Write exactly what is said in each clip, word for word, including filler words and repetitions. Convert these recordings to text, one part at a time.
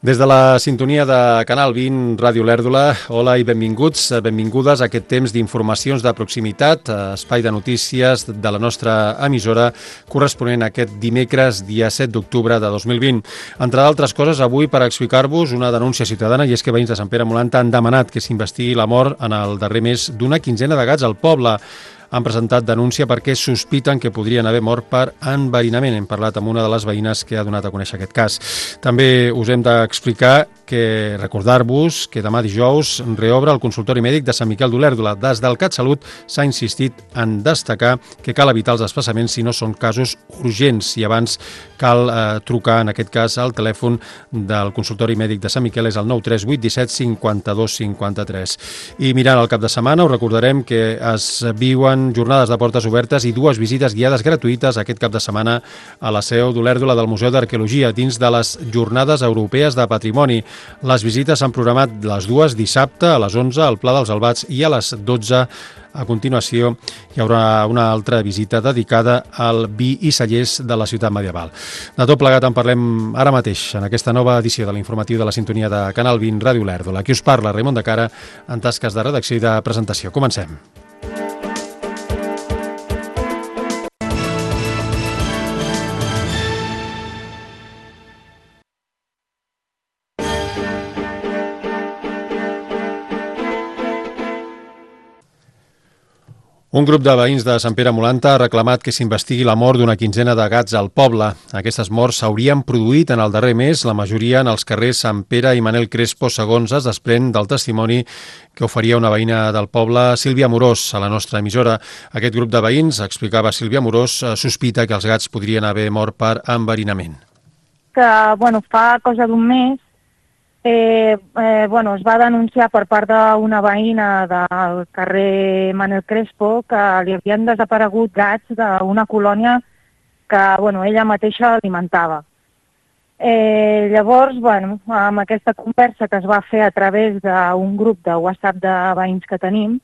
Des de la sintonia de Canal vint, Ràdio Lèrdula, hola i benvinguts, benvingudes a aquest temps d'informacions de proximitat, espai de notícies de la nostra emissora, corresponent a aquest dimecres, dia set d'octubre de dos mil vint. Entre d'altres coses, avui per explicar-vos una denúncia ciutadana, i és que veïns de Sant Pere Molanta han demanat que s'investigui la mort en el darrer mes d'una quinzena de gats al poble. Han presentat denúncia perquè sospiten que podrien haver mort per enverinament. Hem parlat amb una de les veïnes que ha donat a conèixer aquest cas. També us hem d'explicar que recordar-vos que demà dijous reobre el consultori mèdic de Sant Miquel d'Olèrdola. Des del CatSalut s'ha insistit en destacar que cal evitar els desplaçaments si no són casos urgents i abans cal eh, trucar, en aquest cas, al telèfon del consultori mèdic de Sant Miquel, és el nou tres vuit disset cinquanta-dos cinquanta-tres. I mirant el cap de setmana, us recordarem que es viuen jornades de portes obertes i dues visites guiades gratuïtes aquest cap de setmana a la seu d'Olèrdola del Museu d'Arqueologia dins de les Jornades Europees de Patrimoni. Les visites s'han programat les dues dissabte a les onze al Pla dels Albats i a les dotze a continuació hi haurà una altra visita dedicada al vi i cellers de la ciutat medieval. De tot plegat en parlem ara mateix en aquesta nova edició de l'informatiu de la sintonia de Canal vint Ràdio Lèrdula. Aquí us parla Raimon de Cara en tasques de redacció i de presentació. Comencem. Un grup de veïns de Sant Pere Molanta ha reclamat que s'investigui la mort d'una quinzena de gats al poble. Aquestes morts s'haurien produït en el darrer mes, la majoria en els carrers Sant Pere i Manel Crespo, segons es desprèn del testimoni que oferia una veïna del poble, Sílvia Amorós, a la nostra emissora. Aquest grup de veïns, explicava Sílvia Amorós, sospita que els gats podrien haver mort per enverinament. Que, bueno, fa cosa d'un mes, Eh, eh, bueno, es va denunciar per part d'una veïna del carrer Manel Crespo que li havien desaparegut gats d'una colònia que, bueno, ella mateixa alimentava. Eh, llavors, bueno, amb aquesta conversa que es va fer a través d'un grup de WhatsApp de veïns que tenim,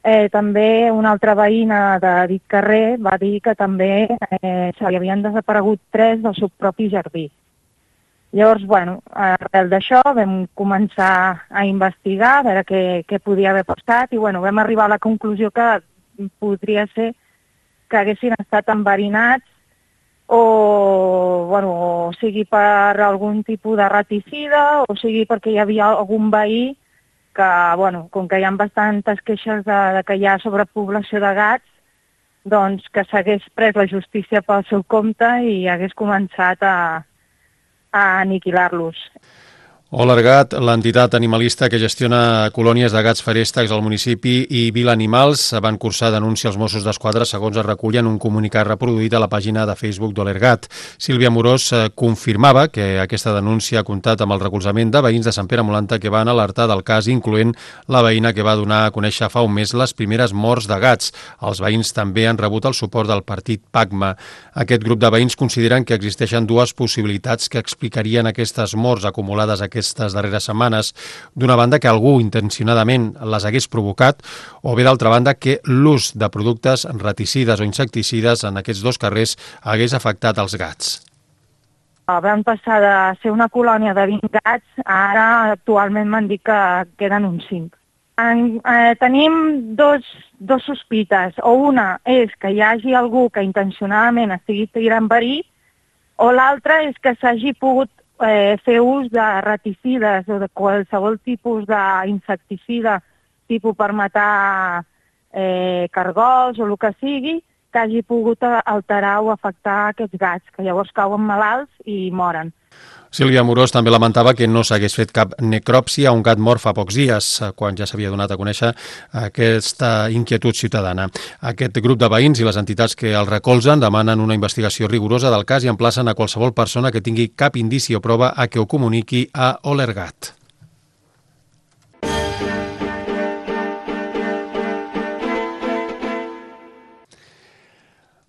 eh, també una altra veïna de dit carrer va dir que també eh, se li havien desaparegut tres del seu propi jardí. Llavors, bueno, arrel d'això vam començar a investigar, a veure què, què podia haver passat i, bueno, vam arribar a la conclusió que podria ser que haguessin estat enverinats o, bueno, o sigui per algun tipus de raticida o sigui perquè hi havia algun veí que, bueno, com que hi ha bastantes queixes de, de que hi ha sobrepoblació de gats, doncs que s'hagués pres la justícia pel seu compte i hagués començat a a aniquilar-los. Olergat, l'entitat animalista que gestiona colònies de gats feréstecs al municipi i Vila Animals, van cursar denúncia als Mossos d'Esquadra, segons es recull en un comunicat reproduït a la pàgina de Facebook d'Olergat. Sílvia Amorós confirmava que aquesta denúncia ha comptat amb el recolzament de veïns de Sant Pere Molanta que van alertar del cas, incloent la veïna que va donar a conèixer fa un mes les primeres morts de gats. Els veïns també han rebut el suport del partit PACMA. Aquest grup de veïns consideren que existeixen dues possibilitats que explicarien aquestes morts acumulades a aquestes darreres setmanes. D'una banda, que algú intencionadament les hagués provocat, o bé d'altra banda, que l'ús de productes raticides o insecticides en aquests dos carrers hagués afectat els gats. Van passar de ser una colònia de vint gats, ara actualment m'han dit que queden uns cinc. En, eh, tenim dos, dos sospites, o una és que hi hagi algú que intencionadament estigui tirant verí, o l'altra és que s'hagi pogut Eh, fer ús de raticides o de qualsevol tipus d'insecticida, tipus per matar eh, cargols o el que sigui, que hagi pogut alterar o afectar aquests gats, que llavors cauen malalts i moren. Sílvia Amorós també lamentava que no s'hagués fet cap necròpsia a un gat mort fa pocs dies, quan ja s'havia donat a conèixer aquesta inquietud ciutadana. Aquest grup de veïns i les entitats que el recolzen demanen una investigació rigorosa del cas i emplacen a qualsevol persona que tingui cap indici o prova a que ho comuniqui a Olergat.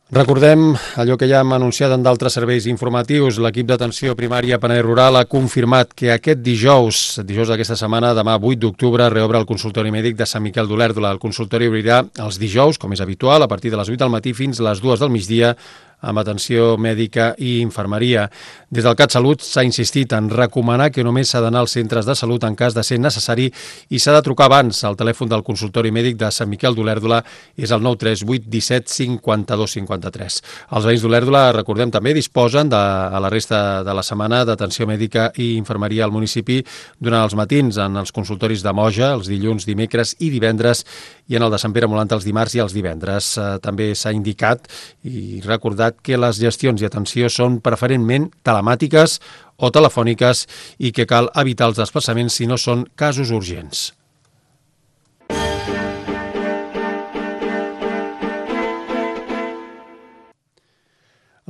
Recordem allò que ja hem anunciat en d'altres serveis informatius. L'equip d'atenció primària Penedès Rural ha confirmat que aquest dijous, dijous d'aquesta setmana, demà vuit d'octubre, reobre el consultori mèdic de Sant Miquel d'Olèrdola. El consultori obrirà els dijous, com és habitual, a partir de les vuit del matí fins a les dues del migdia, amb atenció mèdica i infermeria. Des del CatSalut s'ha insistit en recomanar que només s'ha d'anar als centres de salut en cas de ser necessari i s'ha de trucar abans. El telèfon del consultori mèdic de Sant Miquel d'Olèrdola és el nou tres vuit disset cinquanta-dos cinquanta-tres. Els veïns d'Olèrdola, recordem, també disposen de, a la resta de la setmana d'atenció mèdica i infermeria al municipi durant els matins en els consultoris de Moja, els dilluns, dimecres i divendres, i en el de Sant Pere Molant els dimarts i els divendres. Eh, també s'ha indicat i recordat que les gestions i atenció són preferentment telemàtiques o telefòniques i que cal evitar els desplaçaments si no són casos urgents.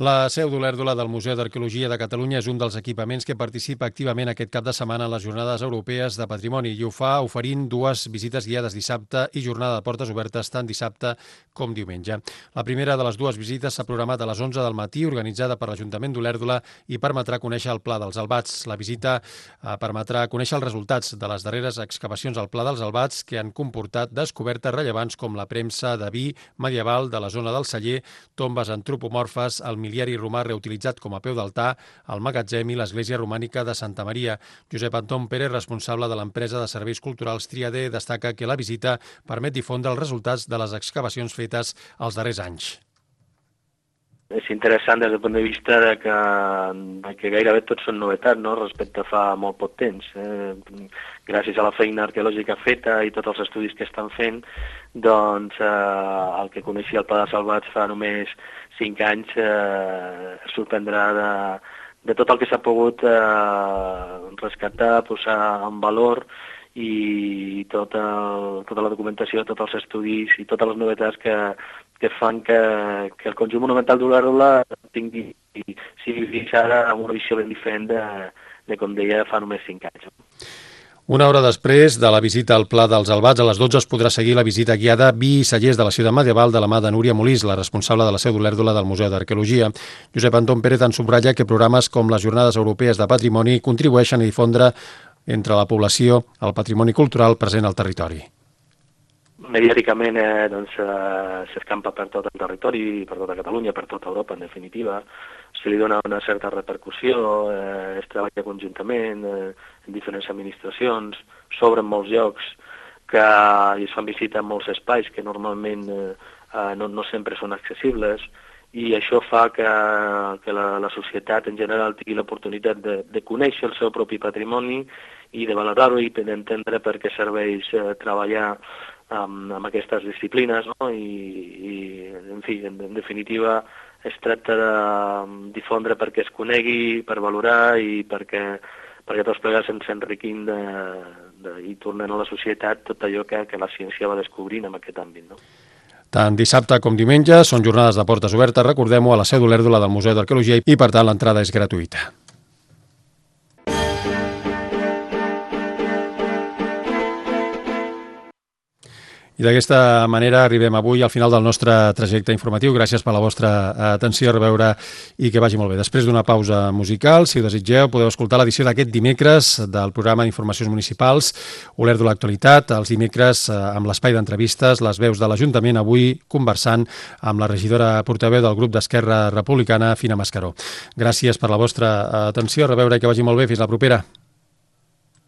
La seu d'Olèrdola del Museu d'Arqueologia de Catalunya és un dels equipaments que participa activament aquest cap de setmana en les Jornades Europees de Patrimoni i ho fa oferint dues visites guiades dissabte i jornada de portes obertes tant dissabte com diumenge. La primera de les dues visites s'ha programat a les onze del matí, organitzada per l'Ajuntament d'Olèrdola i permetrà conèixer el Pla dels Albats. La visita eh, permetrà conèixer els resultats de les darreres excavacions al Pla dels Albats que han comportat descobertes rellevants com la premsa de vi medieval de la zona del Celler, tombes antropomorfes, el miliari romà reutilitzat com a peu d'altar, el magatzem i l'església romànica de Santa Maria. Josep Anton Pérez, responsable de l'empresa de serveis culturals Triadé, destaca que la visita permet difondre els resultats de les excavacions fetes els darrers anys. És interessant des del punt de vista de que, de que gairebé tots són novetats, no?, respecte a fa molt poc temps. Eh, gràcies a la feina arqueològica feta i tots els estudis que estan fent, doncs eh, el que coneixia el Pla dels Albats fa només cinc anys eh, es sorprendrà de, de tot el que s'ha pogut eh, rescatar, posar en valor i tot el, tota la documentació, tots els estudis i totes les novetats que, que fan que, que el conjunt monumental d'Olèrdola tingui, sigui vist ara amb una visió ben diferent de, de com deia fa només cinc anys. Una hora després de la visita al Pla dels Albats, a les dotze es podrà seguir la visita guiada Vi i Cellers de la ciutat medieval de la mà de Núria Molís, la responsable de la seu d'Olèrdola del Museu d'Arqueologia. Josep Anton Pérez en subratlla que programes com les Jornades Europees de Patrimoni contribueixen a difondre entre la població el patrimoni cultural present al territori. Mediàticament eh, doncs, eh, s'escampa per tot el territori, per tota Catalunya, per tota Europa, en definitiva. Se li dona una certa repercussió, eh, es treballa conjuntament eh, en diferents administracions, s'obren molts llocs que i es fan visita en molts espais que normalment eh, no, no sempre són accessibles i això fa que, que la, la societat en general tingui l'oportunitat de, de conèixer el seu propi patrimoni i de valorar-ho i d'entendre per què serveix eh, treballar amb, amb aquestes disciplines, no? I, i en fi, en, en definitiva es tracta de difondre perquè es conegui, per valorar i perquè, perquè tots plegats ens enriquim de, de, i tornem a la societat tot allò que, que la ciència va descobrint en aquest àmbit, no? Tant dissabte com diumenge són jornades de portes obertes, recordem-ho, a la seu d'Olèrdola del Museu d'Arqueologia i, per tant, l'entrada és gratuïta. I d'aquesta manera arribem avui al final del nostre trajecte informatiu. Gràcies per la vostra atenció, a reveure i que vagi molt bé. Després d'una pausa musical, si ho desitgeu, podeu escoltar l'edició d'aquest dimecres del programa d'Informacions Municipals Olèrdola Actualitat, els dimecres amb l'espai d'entrevistes, les veus de l'Ajuntament, avui conversant amb la regidora portaveu del grup d'Esquerra Republicana, Fina Mascaró. Gràcies per la vostra atenció, a reveure i que vagi molt bé. Fins la propera.